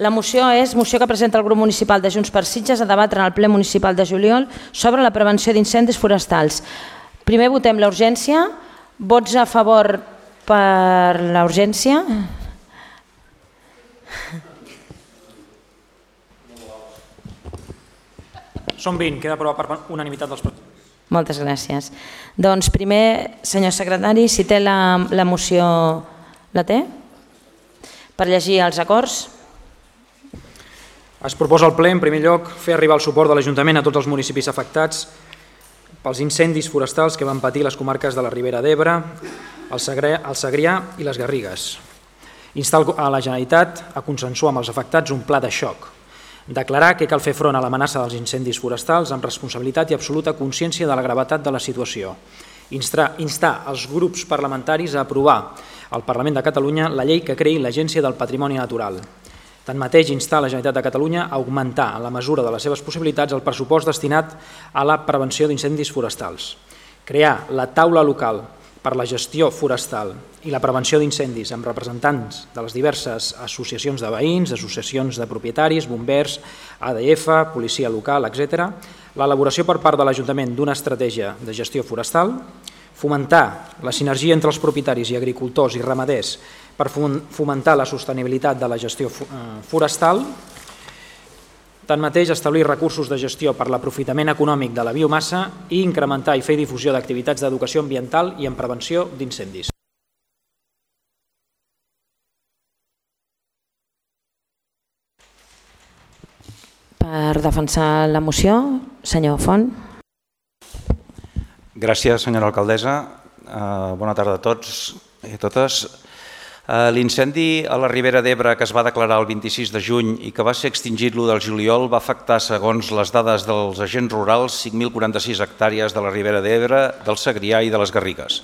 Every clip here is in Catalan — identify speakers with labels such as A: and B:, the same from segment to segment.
A: La moció és moció que presenta el grup municipal de Junts per Sitges a debatre en el ple municipal de juliol sobre la prevenció d'incendis forestals. Primer votem la urgència. Vots a favor per la urgència?
B: Són 20, queda aprovat per unanimitat dels presents.
A: Moltes gràcies. Doncs primer, senyor secretari, si té la moció, la té? Per llegir els acords.
B: Es proposa al ple, en primer lloc, fer arribar el suport de l'Ajuntament a tots els municipis afectats pels incendis forestals que van patir les comarques de la Ribera d'Ebre, el Segrià i les Garrigues. Instar a la Generalitat a consensuar amb els afectats un pla de xoc. Declarar que cal fer front a l'amenaça dels incendis forestals amb responsabilitat i absoluta consciència de la gravetat de la situació. Instar els grups parlamentaris a aprovar al Parlament de Catalunya la llei que creï l'Agència del Patrimoni Natural. Tanmateix, instar la Generalitat de Catalunya a augmentar, en la mesura de les seves possibilitats, el pressupost destinat a la prevenció d'incendis forestals. Crear la taula local per la gestió forestal i la prevenció d'incendis amb representants de les diverses associacions de veïns, associacions de propietaris, bombers, ADF, policia local, etc. L'elaboració per part de l'Ajuntament d'una estratègia de gestió forestal, fomentar la sinergia entre els propietaris i agricultors i ramaders per fomentar la sostenibilitat de la gestió forestal. Tanmateix, establir recursos de gestió per l'aprofitament econòmic de la biomassa i incrementar i fer difusió d'activitats d'educació ambiental i en prevenció d'incendis.
A: Per defensar la moció, senyor Font.
C: Gràcies, senyora alcaldessa. Bona tarda a tots i a totes. L'incendi a la Ribera d'Ebre que es va declarar el 26 de juny i que va ser extingit l'1 de juliol va afectar, segons les dades dels agents rurals, 5.046 hectàrees de la Ribera d'Ebre, del Segrià i de les Garrigues.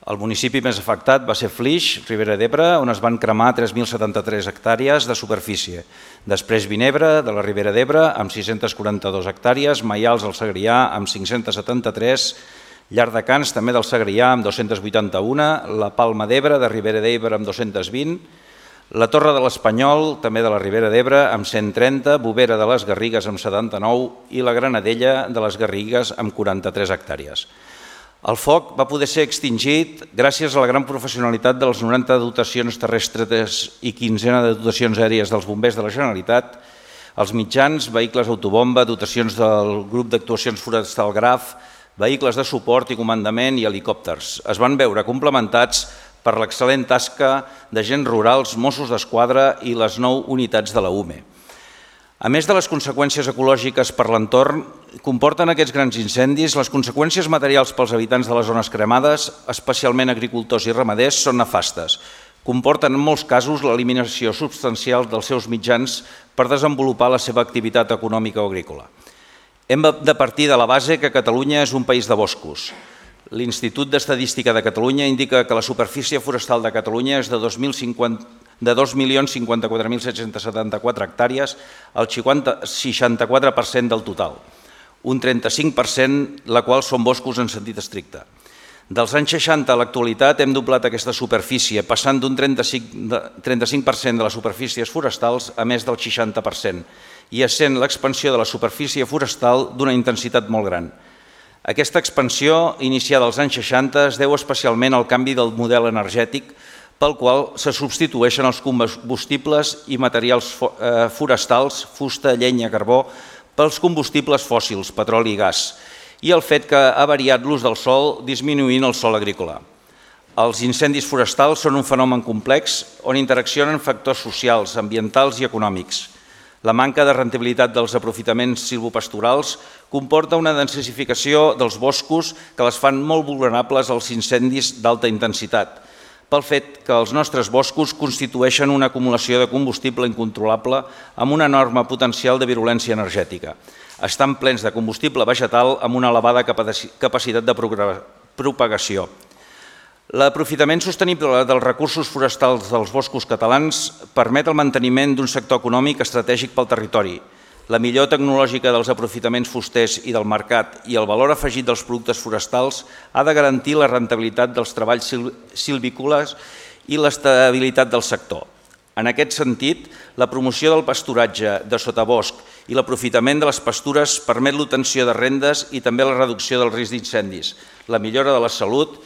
C: El municipi més afectat va ser Flix, Ribera d'Ebre, on es van cremar 3.073 hectàrees de superfície. Després Vinebre, de la Ribera d'Ebre, amb 642 hectàrees, Maials, al Segrià, amb 573, Llardecans, també del Segrià, amb 281, la Palma d'Ebre, de Ribera d'Ebre, amb 220, la Torre de l'Espanyol, també de la Ribera d'Ebre, amb 130, Bovera de les Garrigues, amb 79, i la Granadella de les Garrigues, amb 43 hectàrees. El foc va poder ser extingit gràcies a la gran professionalitat de les 90 dotacions terrestres i 15 de dotacions aèries dels bombers de la Generalitat, els mitjans, vehicles autobomba, dotacions del grup d'actuacions forestal Graf, vehicles de suport i comandament i helicòpters. Es van veure complementats per l'excel·lent tasca d'agents rurals, Mossos d'Esquadra i les 9 unitats de la UME. A més de les conseqüències ecològiques per l'entorn, comporten aquests grans incendis, les conseqüències materials pels habitants de les zones cremades, especialment agricultors i ramaders, són nefastes. Comporten en molts casos l'eliminació substancial dels seus mitjans per desenvolupar la seva activitat econòmica o agrícola. Hem de partir de la base que Catalunya és un país de boscos. L'Institut d'Estadística de Catalunya indica que la superfície forestal de Catalunya és de 2.054.774 hectàrees, el 64% del total, un 35%, la qual són boscos en sentit estricte. Dels anys 60 a l'actualitat hem doblat aquesta superfície, passant d'un 35% de les superfícies forestals a més del 60%, i essent l'expansió de la superfície forestal d'una intensitat molt gran. Aquesta expansió, iniciada als anys 60, es deu especialment al canvi del model energètic pel qual se substitueixen els combustibles i materials forestals, fusta, llenya, carbó, pels combustibles fòssils, petroli i gas, i el fet que ha variat l'ús del sòl disminuint el sòl agrícola. Els incendis forestals són un fenomen complex on interaccionen factors socials, ambientals i econòmics. La manca de rendibilitat dels aprofitaments silvopastorals comporta una densificació dels boscos que les fan molt vulnerables als incendis d'alta intensitat, pel fet que els nostres boscos constitueixen una acumulació de combustible incontrolable amb un enorme potencial de virulència energètica. Estan plens de combustible vegetal amb una elevada capacitat de propagació. L'aprofitament sostenible dels recursos forestals dels boscos catalans permet el manteniment d'un sector econòmic estratègic pel territori, la millor tecnològica dels aprofitaments fusters i del mercat i el valor afegit dels productes forestals ha de garantir la rendibilitat dels treballs silvícoles i l'estabilitat del sector. En aquest sentit, la promoció del pasturatge de sotabosc i l'aprofitament de les pastures permet l'obtenció de rendes i també la reducció del risc d'incendis, la millora de la salut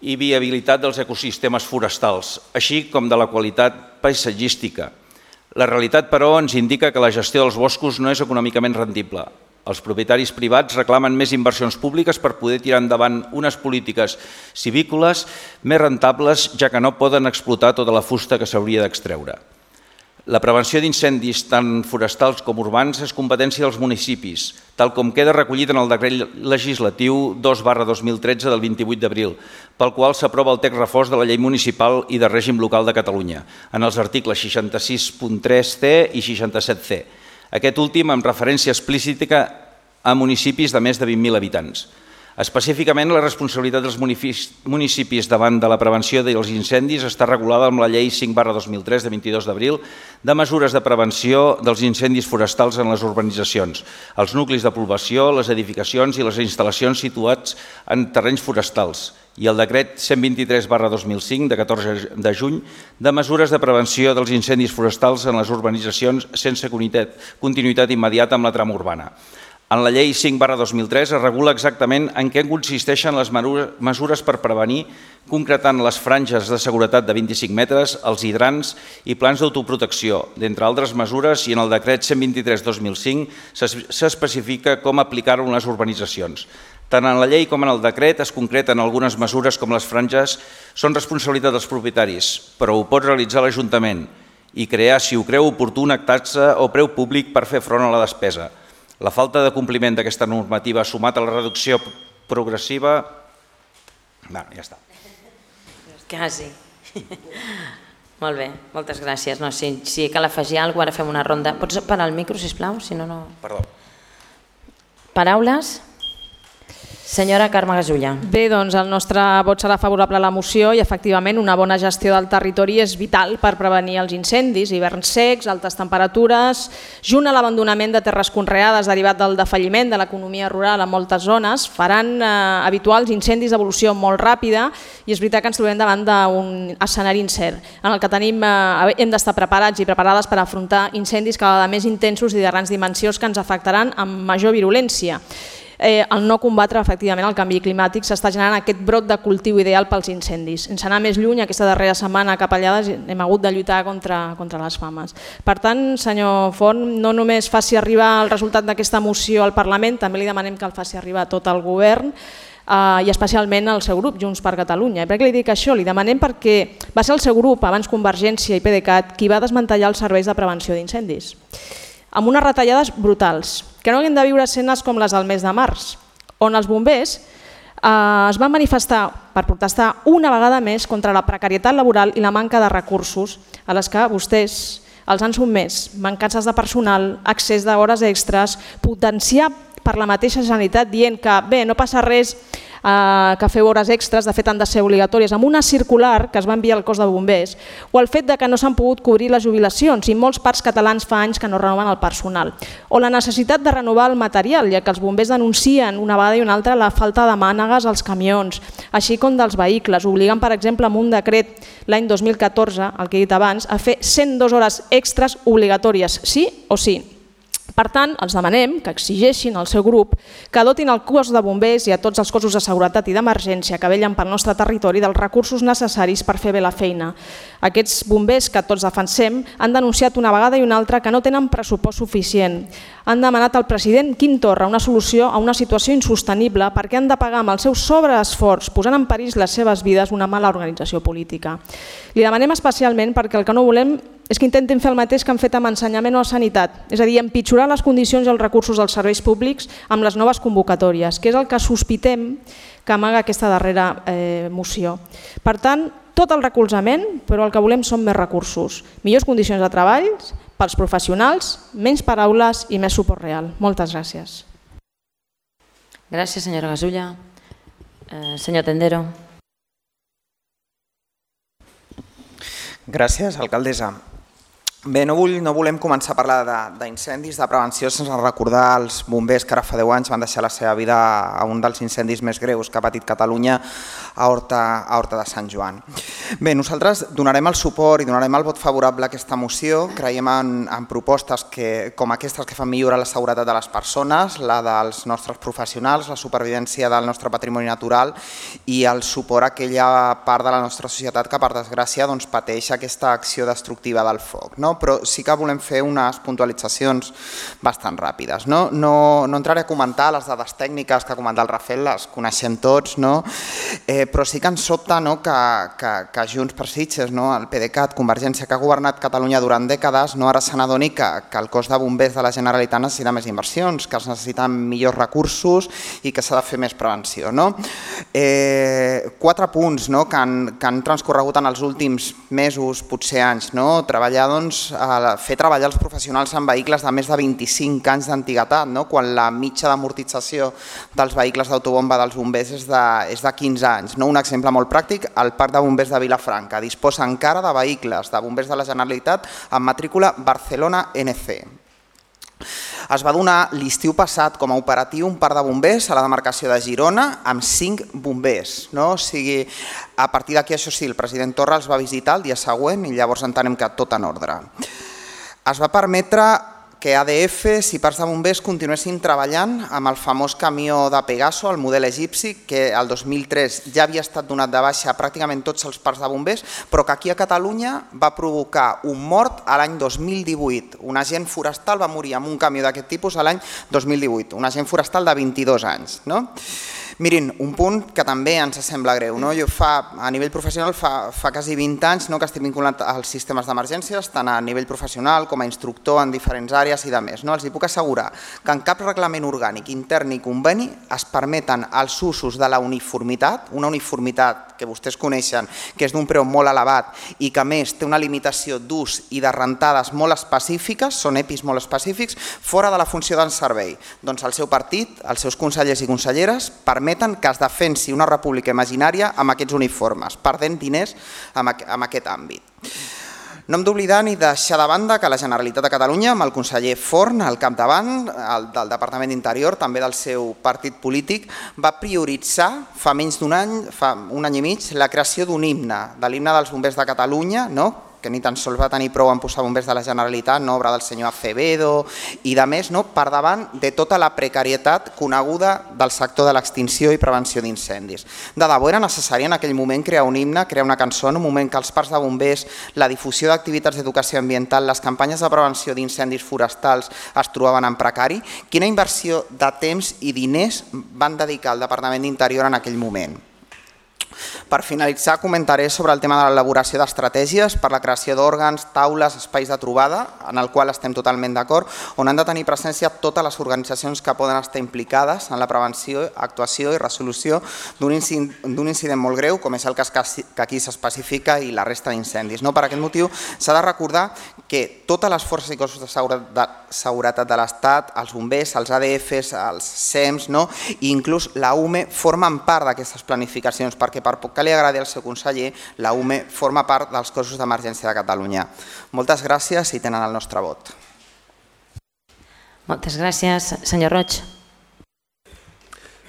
C: i viabilitat dels ecosistemes forestals, així com de la qualitat paisatgística. La realitat, però, ens indica que la gestió dels boscos no és econòmicament rendible. Els propietaris privats reclamen més inversions públiques per poder tirar endavant unes polítiques civícoles més rentables, ja que no poden explotar tota la fusta que s'hauria d'extreure. La prevenció d'incendis tant forestals com urbans és competència dels municipis, tal com queda recollit en el decret legislatiu 2/2013 del 28 d'abril, pel qual s'aprova el text refós de la Llei Municipal i de Règim Local de Catalunya, en els articles 66.3c i 67c. Aquest últim amb referència explícita a municipis de més de 20.000 habitants. Específicament, la responsabilitat dels municipis davant de la prevenció dels incendis està regulada amb la Llei 5/2003 de 22 d'abril de mesures de prevenció dels incendis forestals en les urbanitzacions, els nuclis de població, les edificacions i les instal·lacions situats en terrenys forestals, i el decret 123/2005 de 14 de juny de mesures de prevenció dels incendis forestals en les urbanitzacions sense continuïtat immediata amb la trama urbana. En la Llei 5/2003 es regula exactament en què consisteixen les mesures per prevenir, concretant les franges de seguretat de 25 metres, els hidrants i plans d'autoprotecció, d'entre altres mesures, i en el decret 123/2005 s'especifica com aplicar-ho en les urbanitzacions. Tant en la llei com en el decret es concreten algunes mesures com les franges són responsabilitat dels propietaris, però ho pot realitzar l'Ajuntament i crear, si ho creu oportú, una taxa o preu públic per fer front a la despesa. La falta de compliment d'aquesta normativa sumat a la reducció progressiva... Bueno, ja està.
A: Quasi. Molt bé, moltes gràcies. No, si cal afegir alguna cosa, ara fem una ronda. Pots parar el micro, sisplau? Si no, no...
C: Perdó.
A: Paraules? Senyora Carme Gasulla.
D: Bé, doncs el nostre vot serà favorable a la moció i efectivament una bona gestió del territori és vital per prevenir els incendis, hiverns secs, altes temperatures, junt a l'abandonament de terres conreades derivat del defalliment de l'economia rural en moltes zones, faran habituals incendis d'evolució molt ràpida i és veritat que ens trobem davant d'un escenari incert en el que hem d'estar preparats i preparades per afrontar incendis cada vegada més intensos i de grans dimensions que ens afectaran amb major virulència. El no combatre efectivament el canvi climàtic s'està generant aquest brot de cultiu ideal pels incendis. Sense anar més lluny, aquesta darrera setmana a Capellades hem hagut de lluitar contra les fames. Per tant, senyor Font, no només faci arribar el resultat d'aquesta moció al Parlament, també li demanem que el faci arribar a tot el govern i especialment al seu grup, Junts per Catalunya. I per què li dic això? Li demanem perquè va ser el seu grup, abans Convergència i PDeCAT, qui va desmantellar els serveis de prevenció d'incendis, amb unes retallades brutals, que no haguem de viure escenes com les del mes de març, on els bombers es van manifestar per protestar una vegada més contra la precarietat laboral i la manca de recursos a les que vostès els han sotmès, mancances de personal, accés d'hores extres, potenciar per la mateixa Generalitat dient que bé, no passa res que feu hores extres, de fet han de ser obligatòries, amb una circular que es va enviar al cos de bombers, o el fet que no s'han pogut cobrir les jubilacions i molts parcs catalans fa anys que no renoven el personal, o la necessitat de renovar el material, ja que els bombers denuncien una vegada i una altra la falta de mànegues als camions, així com dels vehicles, obligant per exemple amb un decret l'any 2014, el que he dit abans, a fer 102 hores extres obligatòries, sí o sí. Per tant, els demanem que exigeixin al seu grup que dotin el cos de bombers i a tots els cossos de seguretat i d'emergència que vetllen pel nostre territori dels recursos necessaris per fer bé la feina. Aquests bombers que tots defensem han denunciat una vegada i una altra que no tenen pressupost suficient. Han demanat al president Quim Torra una solució a una situació insostenible perquè han de pagar amb el seu sobreesforç, posant en perill les seves vides, una mala organització política. Li demanem especialment perquè el que no volem és que intentin fer el mateix que han fet amb ensenyament o sanitat, és a dir, empitjorar les condicions i els recursos dels serveis públics amb les noves convocatòries, que és el que sospitem que amaga aquesta darrera moció. Per tant, tot el recolzament, però el que volem són més recursos, millors condicions de treball pels professionals, menys paraules i més suport real. Moltes gràcies.
A: Gràcies, senyora Gasulla. Senyor Tendero.
E: Gràcies, alcaldessa. Bé, no volem començar a parlar d'incendis, de prevenció, sense recordar els bombers que ara fa 10 anys van deixar la seva vida a un dels incendis més greus que ha patit Catalunya a Horta de Sant Joan. Bé, nosaltres donarem el suport i donarem el vot favorable a aquesta moció. Creiem en propostes com aquestes que fan millorar la seguretat de les persones, la dels nostres professionals, la supervivència del nostre patrimoni natural i el suport a aquella part de la nostra societat que, per desgràcia, pateix aquesta acció destructiva del foc. Però sí que volem fer unes puntualitzacions bastant ràpides. No entraré a comentar les dades tècniques que ha comentat el Rafael, les coneixem tots, però sí que ens sobta que Junts per Sitges, el PDeCAT, Convergència, que ha governat Catalunya durant dècades, ara se n'adoni que el cos de bombers de la Generalitat necessita més inversions, que es necessiten millors recursos i que s'ha de fer més prevenció. 4 punts que han transcorregut en els últims mesos, potser anys, treballar fer treballar els professionals en vehicles de més de 25 anys d'antiguitat, quan la mitja d'amortització dels vehicles d'autobomba dels bombers és de 15 anys. Un exemple molt pràctic, el Parc de Bombers de Vilafranca disposa encara de vehicles de bombers de la Generalitat amb matrícula Barcelona NC. Es va donar l'estiu passat com a operatiu un parc de bombers a la demarcació de Girona amb 5 bombers. O sigui, a partir d'aquí, això sí, el president Torra els va visitar el dia següent i llavors entenem que tot en ordre. Es va permetre que ADF i parcs de bombers continuessin treballant amb el famós camió de Pegaso, el model egipci, que el 2003 ja havia estat donat de baixa a pràcticament tots els parcs de bombers, però que aquí a Catalunya va provocar un mort a l'any 2018. Un agent forestal va morir amb un camió d'aquest tipus a l'any 2018, un agent forestal de 22 anys. Mirin, un punt que també ens sembla greu. Jo a nivell professional fa quasi 20 anys que estic vinculat als sistemes d'emergències, tant a nivell professional com a instructor en diferents àrees i de més. Els puc assegurar que en cap reglament orgànic, intern ni conveni es permeten els usos de la uniformitat, una uniformitat que vostès coneixen, que és d'un preu molt elevat i que a més té una limitació d'ús i de rentades molt específiques, són EPIs molt específics, fora de la funció del servei. Doncs el seu partit, els seus consellers i conselleres permeten que es defensi una república imaginària amb aquests uniformes, perdent diners en aquest àmbit. No hem d'oblidar ni deixar de banda que la Generalitat de Catalunya, amb el conseller Forn al capdavant del Departament d'Interior, també del seu partit polític, va prioritzar fa menys d'un any, fa un any i mig, la creació d'un himne, de l'himne dels bombers de Catalunya, que ni tan sols va tenir prou en posar bombers de la Generalitat, obra del senyor Acevedo i de més, per davant de tota la precarietat coneguda del sector de l'extinció i prevenció d'incendis. De debò era necessari en aquell moment crear un himne, crear una cançó, en un moment que els parcs de bombers, la difusió d'activitats d'educació ambiental, les campanyes de prevenció d'incendis forestals es trobaven en precari. Quina inversió de temps i diners van dedicar al Departament d'Interior en aquell moment? Per finalitzar, comentaré sobre el tema de l'elaboració d'estratègies per la creació d'òrgans, taules, espais de trobada, en el qual estem totalment d'acord, on han de tenir presència totes les organitzacions que poden estar implicades en la prevenció, actuació i resolució d'un incident molt greu, com és el cas que aquí s'especifica, i la resta d'incendis. Per aquest motiu, s'ha de recordar que totes les forces i cossos de seguretat de l'Estat, els bombers, els ADFs, els SEMS i inclús la UME formen part d'aquestes planificacions, perquè per poc que li agradi al seu conseller, la UME forma part dels cossos d'emergència de Catalunya. Moltes gràcies i tenen el nostre vot.
A: Moltes gràcies. Senyor Roig.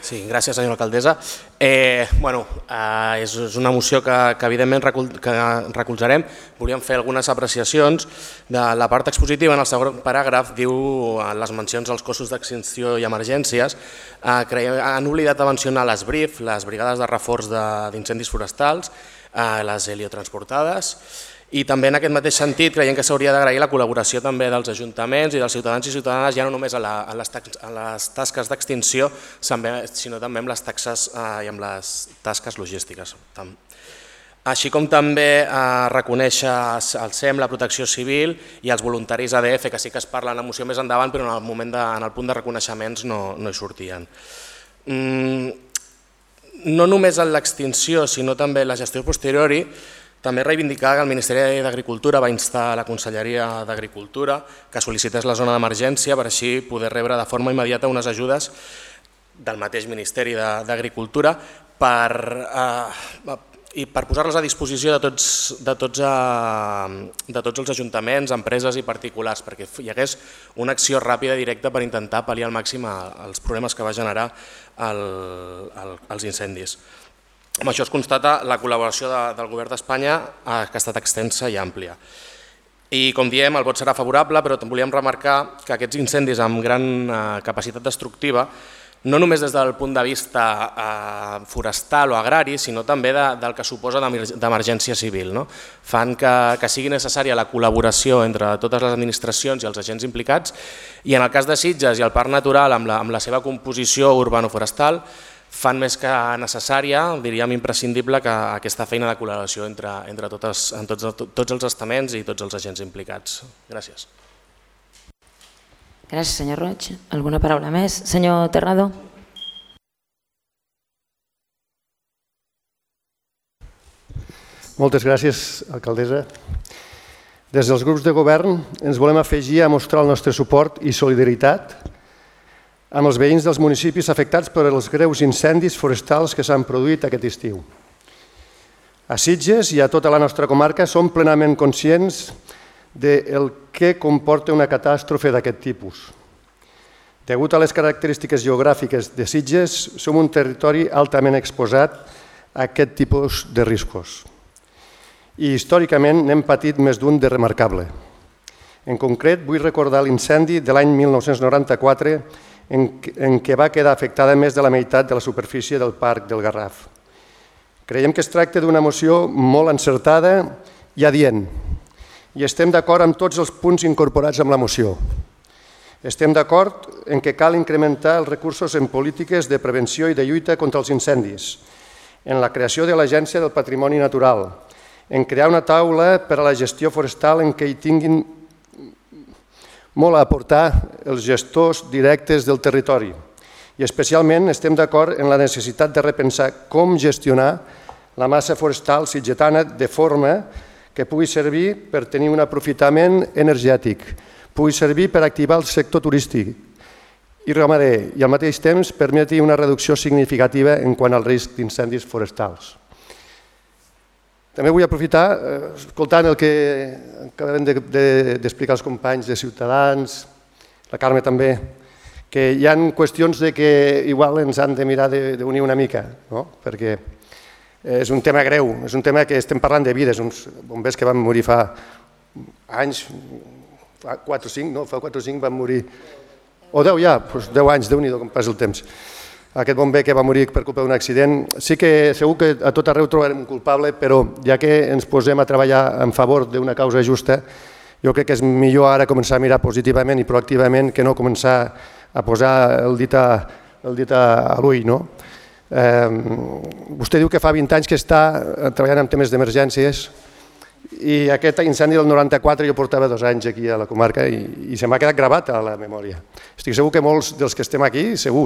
F: Sí, gràcies, senyora alcaldessa. És una moció que evidentment recolzarem. Volíem fer algunes apreciacions. De la part expositiva, en el segon paràgraf, diu les mencions als cossos d'extinció i emergències. Han oblidat de mencionar les BRIF, les brigades de reforç d'incendis forestals, les heliotransportades, i també en aquest mateix sentit creiem que s'hauria d'agrair la col·laboració també dels ajuntaments i dels ciutadans i ciutadanes, ja no només a les tasques d'extinció, sinó també amb les taxes i amb les tasques logístiques. Així com també reconèixer el SEM, la protecció civil i els voluntaris ADF, que sí que es parla en la moció més endavant, però en el punt de reconeixements no hi sortien. No només en l'extinció, sinó també en la gestió posteriori, també reivindicar que el Ministeri d'Agricultura va instar a la Conselleria d'Agricultura que sol·licités la zona d'emergència per així poder rebre de forma immediata unes ajudes del mateix Ministeri d'Agricultura i per posar-les a disposició de tots els ajuntaments, empreses i particulars, perquè hi hagués una acció ràpida i directa per intentar pal·liar al màxim els problemes que va generar els incendis. Amb això es constata la col·laboració del Govern d'Espanya, que ha estat extensa i àmplia. I com diem, el vot serà favorable, però volíem remarcar que aquests incendis amb gran capacitat destructiva, no només des del punt de vista forestal o agrari, sinó també del que suposa d'emergència civil, fan que sigui necessària la col·laboració entre totes les administracions i els agents implicats, i en el cas de Sitges i el Parc Natural, amb la seva composició urbano-forestal, fan més que necessària, diríem imprescindible, que aquesta feina de col·laboració entre tots els estaments i tots els agents implicats. Gràcies.
A: Gràcies, senyor Roig. Alguna paraula més? Senyor Terrado.
G: Moltes gràcies, alcaldessa. Des dels grups de govern ens volem afegir a mostrar el nostre suport i solidaritat amb els veïns dels municipis afectats per els greus incendis forestals que s'han produït aquest estiu. A Sitges i a tota la nostra comarca som plenament conscients del que comporta una catàstrofe d'aquest tipus. Degut a les característiques geogràfiques de Sitges, som un territori altament exposat a aquest tipus de riscos. I històricament n'hem patit més d'un de remarcable. En concret, vull recordar l'incendi de l'any 1994 en què va quedar afectada més de la meitat de la superfície del Parc del Garraf. Creiem que es tracta d'una moció molt encertada i adient, i estem d'acord amb tots els punts incorporats en la moció. Estem d'acord en què cal incrementar els recursos en polítiques de prevenció i de lluita contra els incendis, en la creació de l'Agència del Patrimoni Natural, en crear una taula per a la gestió forestal en què hi tinguin molt a aportar els gestors directes del territori. I especialment estem d'acord en la necessitat de repensar com gestionar la massa forestal sitgetana de forma que pugui servir per tenir un aprofitament energètic, pugui servir per activar el sector turístic i ramader i al mateix temps permeti una reducció significativa en quant al risc d'incendis forestals. També vull aprofitar, escoltant el que acaben d'explicar els companys de Ciutadans, la Carme també, que hi ha qüestions que igual ens han de mirar d'unir una mica, perquè és un tema greu, és un tema que estem parlant de vides, uns bombers que van morir fa anys, fa 4 o 5 van morir, o 10 ja, 10 anys, Déu-n'hi-do com passa el temps. Aquest bomber que va morir per culpa d'un accident, sí que segur que a tot arreu trobarem un culpable, però ja que ens posem a treballar en favor d'una causa justa, jo crec que és millor ara començar a mirar positivament i proactivament que no començar a posar el dit a l'ull. Vostè diu que fa 20 anys que està treballant en temes d'emergències i aquest incendi del 94 jo portava 2 anys aquí a la comarca i se m'ha quedat gravat a la memòria. Estic segur que molts dels que estem aquí, segur,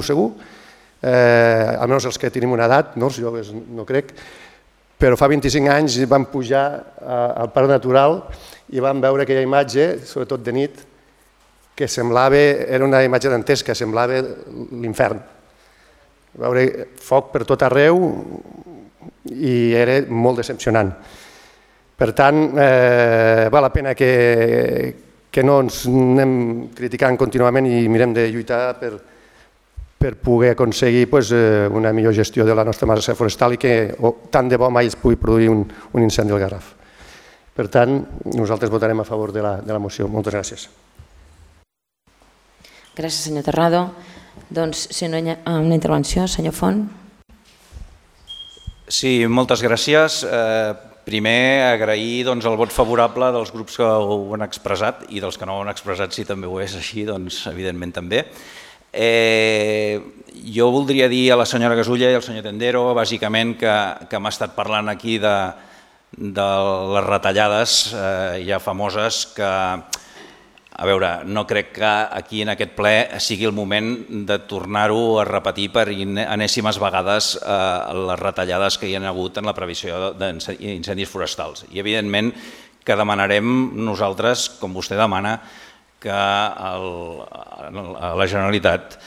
G: almenys els que tenim una edat, els joves no crec, però fa 25 anys vam pujar al Parc Natural i vam veure aquella imatge, sobretot de nit, que era una imatge dantesca, semblava l'infern. Veure foc per tot arreu i era molt decepcionant. Per tant, val la pena que no ens anem criticant contínuament i mirem de lluitar per poder aconseguir una millor gestió de la nostra massa forestal i que tant de bo mai es pugui produir un incendi al Garraf. Per tant, nosaltres votarem a favor de la moció. Moltes gràcies.
A: Gràcies, senyor Terrado. Doncs, si no hi ha una intervenció, senyor Font.
C: Sí, moltes gràcies. Primer, agrair el vot favorable dels grups que ho han expressat i dels que no ho han expressat, si també ho és així, doncs evidentment també. Jo voldria dir a la senyora Gasulla i al senyor Tendero, bàsicament, que m'ha estat parlant aquí de les retallades ja famoses que, a veure, no crec que aquí en aquest ple sigui el moment de tornar-ho a repetir per enèsimes vegades les retallades que hi ha hagut en la previsió d'incendis forestals. I evidentment que demanarem nosaltres, com vostè demana, que a la Generalitat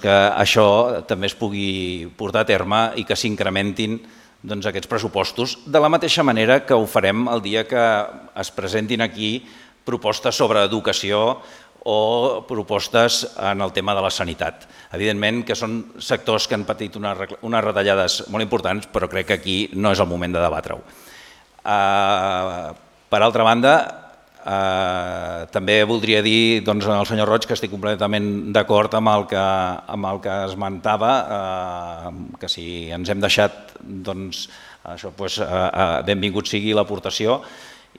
C: que això també es pugui portar a terme i que s'incrementin aquests pressupostos, de la mateixa manera que ho farem el dia que es presentin aquí propostes sobre educació o propostes en el tema de la sanitat. Evidentment que són sectors que han patit unes retallades molt importants, però crec que aquí no és el moment de debatre-ho. Per altra banda, també voldria dir al senyor Roig que estic completament d'acord amb el que esmentava, que si ens hem deixat, benvingut sigui l'aportació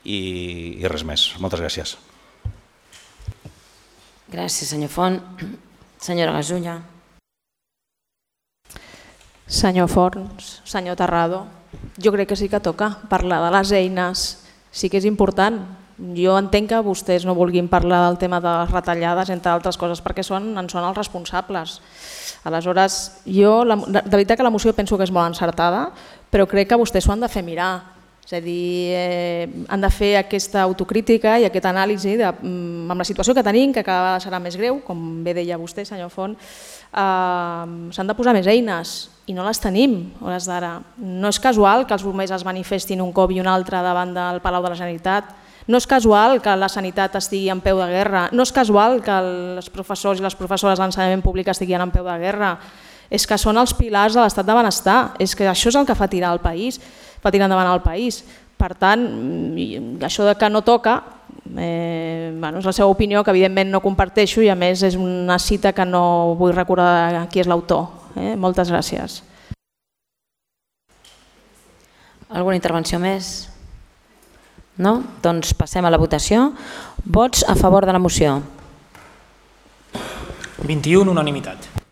C: i res més. Moltes gràcies.
A: Gràcies, senyor Font. Senyora Gasulla.
D: Senyor Forns, senyor Terrado, jo crec que sí que toca parlar de les eines, sí que és important. Jo entenc que vostès no vulguin parlar del tema de les retallades, entre altres coses, perquè en són els responsables. Aleshores, jo, de veritat que la moció penso que és molt encertada, però crec que vostès s'ho han de fer mirar. És a dir, han de fer aquesta autocrítica i aquesta anàlisi amb la situació que tenim, que cada vegada serà més greu, com bé deia vostè, senyor Font, s'han de posar més eines i no les tenim a hores d'ara. No és casual que els bombers es manifestin un cop i un altre davant del Palau de la Generalitat. No és casual que la sanitat estigui en peu de guerra. No és casual que els professors i les professores d'ensenyament públic estiguin en peu de guerra. És que són els pilars de l'estat de benestar. És que això és el que fa tirar el país, fa tirar endavant el país. Per tant, això de que no toca, és la seva opinió, que evidentment no comparteixo, i a més és una cita que no vull recordar qui és l'autor. Moltes gràcies.
A: Alguna intervenció més? No? Doncs passem a la votació. Vots a favor de la moció.
B: 21, unanimitat.